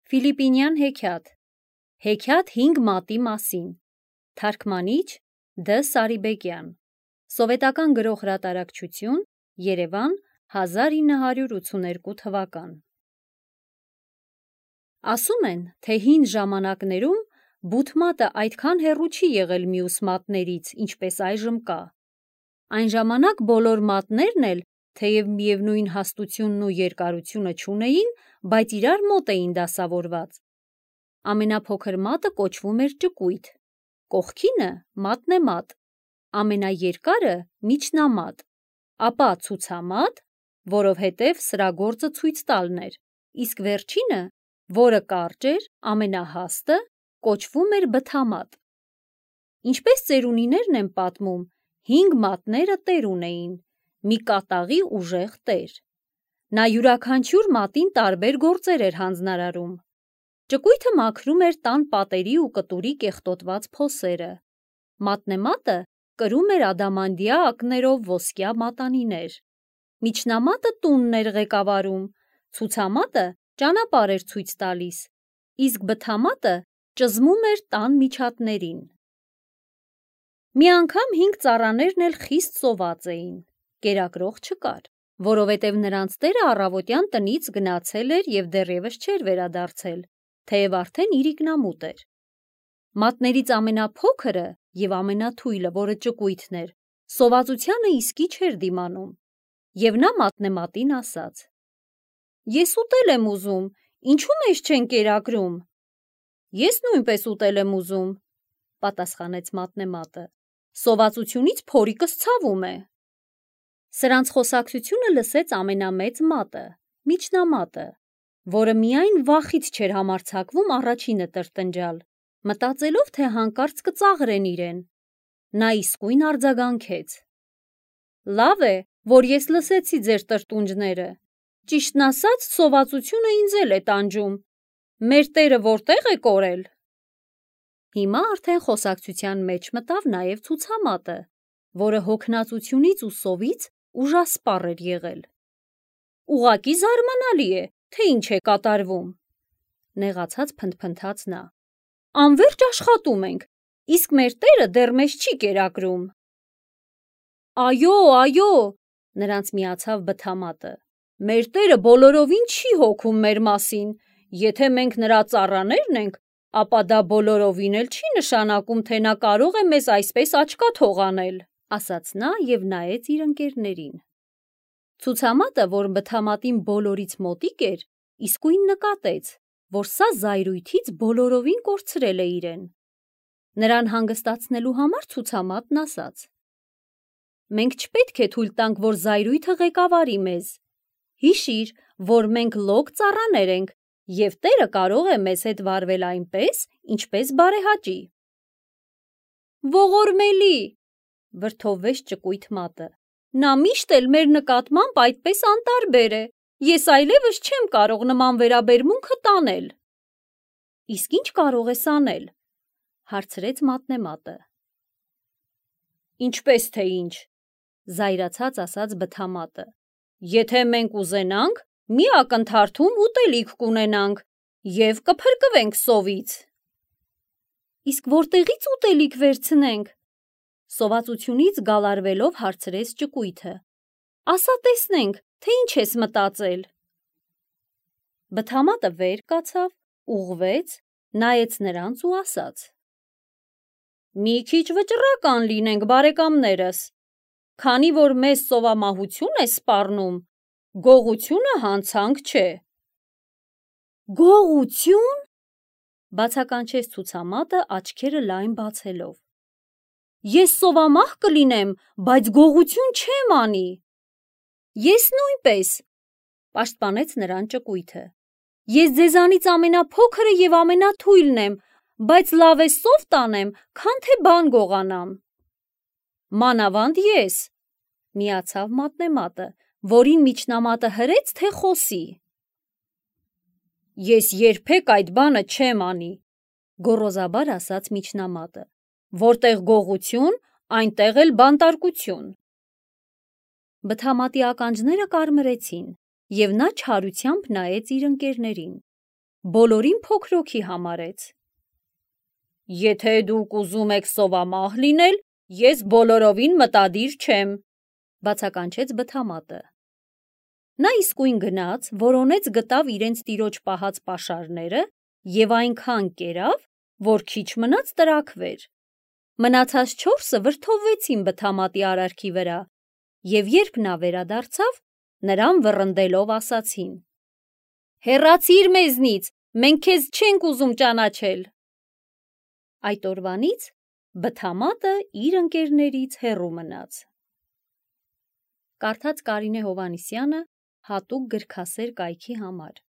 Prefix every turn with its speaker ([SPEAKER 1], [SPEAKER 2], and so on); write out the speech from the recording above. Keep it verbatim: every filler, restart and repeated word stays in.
[SPEAKER 1] Ֆիլիպինյան հեքիաթ, հեքիաթ հինգ մատի մասին, թարգմանիչ Դ. Սարիբեկյան, սովետական գրող հրատարակչություն, Երևան, հազար ինը հարյուր ութսուներկու թվական։ Ասում են, թե հին ժամանակներում բութ մատը այդքան հեռու չի եղել մյուս մատներից, ինչպես այժմ կա։ Այն ժամանակ բոլոր մատներն էլ, թեև միևնույն հաստությունն ու երկարությունը չունեին, բայց իրար մոտ էին դասավորված։ Ամենափոքր մատը կոչվում էր ճկույթ, կողքինը մատնեմատ, ամենաերկարը միջնամատ, ապա ցուցամատ, որովհետև սրա գործը ցույց տալն էր, իսկ վերջինը, որը կարճ էր, ամենահաստը, կոչվում էր բթամատ։ Ինչպես ծերունիներն են պատմում, հինգ մատները տեր ունեին, մի կատաղի ուժեղ տեր։ Նա յուրաքանչյուր մատին տարբեր գործեր էր հանձնարարում։ Ճկույթը մաքրում էր տան պատերի ու կտուրի կեղտոտված փոսերը։ Մատնեմատը կրում էր ադամանդյա ակներով ոսկյա մատանիներ։ Միջնամատը տունն էր ղեկավարում, ցուցամատը ճանապարհ էր ցույց տալիս, իսկ բթամատը ճզմում էր տան միջատներին։ Մի անգամ հինգ ծառաներն էլ խիստ սոված էին, կերակրող չկար, որովհետև նրանց տերը առավոտյան տնից գնացել էր և դեռևս չէր վերադարձել, թեև արդեն իրիկնամուտ էր։ Մատներից ամենափոքրը և ամենաթույլը, որը ճկույթն էր, սովածությանը իսկի չէր դիմանում, և նա մատնեմատին ասաց. «Ես ուտել եմ ուզում, ինչու մեզ չեն կերակրում»։ «Ես նույնպես ուտել եմ ուզում», պատասխանեց մատնեմատը, «սովածությունից փորիկս ցավում է»։ Սրանց խոսակցությունը լսեց ամենամեծ մատը, միջնամատը, որը միայն վախից չէր համարձակվում առաջինը տրտնջալ, մտածելով, թե հանկարծ կծաղրեն իրեն։ Նա իսկույն արձագանքեց. «Լավ է, որ ես լսեցի ձեր տրտունջները, ճիշտն ասած, սովածությունը ինձ էլ է տանջում, մեր տերը որտե՞ղ է կորել»։ Հիմա արդեն խոսակցության մեջ մտավ նաև ցուցամատը, որը հոգնածությունից ու սովից ուժասպառ էր եղել։ «Ուղղակի զարմանալի է, թե ինչ է կատարվում», նեղացած փնթփնթաց նա։ «Անվերջ աշխատում ենք, իսկ մեր տերը դեռ մեզ չի կերակրում»։ «Այո, այո», նրանց միացավ բթամատը, «մեր տերը բոլորովին չի հոգում մեր մասին, եթե մենք նրա ծառաներն ենք, ապա դա բոլորովին էլ չի նշանակում, թե նա կարող է մեզ այսպես աչկաթող անել», ասաց նա և նայեց իր ընկերներին։ Ցուցամատը, որ բթամատին բոլորից մոտիկ էր, իսկույն նկատեց, որ սա զայրույթից բոլորովին կորցրել է իրեն։ Նրան հանգստացնելու համար ցուցամատն ասաց. «Մենք չպետք է թույլ տանք, որ զայրույթը ղեկավարի մեզ։ Հիշիր, որ մենք լոկ ծառաներ ենք, և տերը կարող է մեզ հետ վարվել այնպես, ինչպես բարեհաճի»։ «Ողորմելի», վրդովվեց ճկույթ մատը, «նա միշտ էլ մեր նկատմամբ այդպես անտարբեր է, ես այլևս չեմ կարող նման վերաբերմունքը տանել»։ «Իսկ ի՞նչ կարող ես անել», հարցրեց մատնեմատը։ «Ինչպես թե ինչ», զայրացած ասաց բթամատը, «եթե մենք ուզենանք, մի ակնթարթում ուտելիք կունենանք և կփրկվենք սովից»։ «Իսկ որտեղի՞ց ուտելիք վերցնենք», սովածությունից գալարվելով հարցրեց ճկույթը։ «Ասա տեսնենք, թե ինչ ես մտածել»։ Բթամատը վեր կացավ, ուղղվեց, նայեց նրանց ու ասաց. «Մի քիչ վճռական լինենք, բարեկամներս, քանի որ մեզ սովամահություն է սպառնում, գողությունը հանցանք չէ»։ «Գողությո՞ւն», բացականչեց ցուցամատը աչքերը լայն բացելով։ «Ես սովամահ կլինեմ, բայց գողություն չեմ անի»։ «Ես նույնպես», պաշտպանեց նրան ճկույթը։ «Ես ձեզանից ամենափոքրը և ամենաթույլն եմ, բայց լավ է սով տանեմ, քան թե բան գողանամ»։ «Մանավանդ ես», միացավ մատնեմատը, որին միջնամատը հրեց, թե խոսի։ «Ես երբեք այդ բանը չեմ անի», գոռոզաբար ասաց միջնամատը, «որտեղ գողություն, այնտեղ էլ բանտարկություն»։ Բթամատի ականջները կարմրեցին, և նա չարությամբ նայեց իր ընկերներին։ բոլորին փոքրոքի համարեց։ Եթե դուք ուզում եք սովամահ լինել, ես բոլորովին մտադիր չեմ, բացականչեց բթամատը։ Նա իսկույն գնաց, որոնեց գտավ իրենց տիրոջ պահած պաշարները և այնքան կերավ, որ քիչ մնաց տրաքվեր։ Մնացած չորսը վրդովվեցին բթամատի արարքի վրա, և երբ նա վերադարձավ, նրան վռնդելով ասացին. «Հեռացիր մեզնից, մենք քեզ չենք ուզում ճանաչել»։ Այդ օրվանից բթամատը իր ընկերներից հեռու մնաց։ Կարդաց Կարինե Հովհաննիսյանը հատուկ գրքասեր կայքի համար։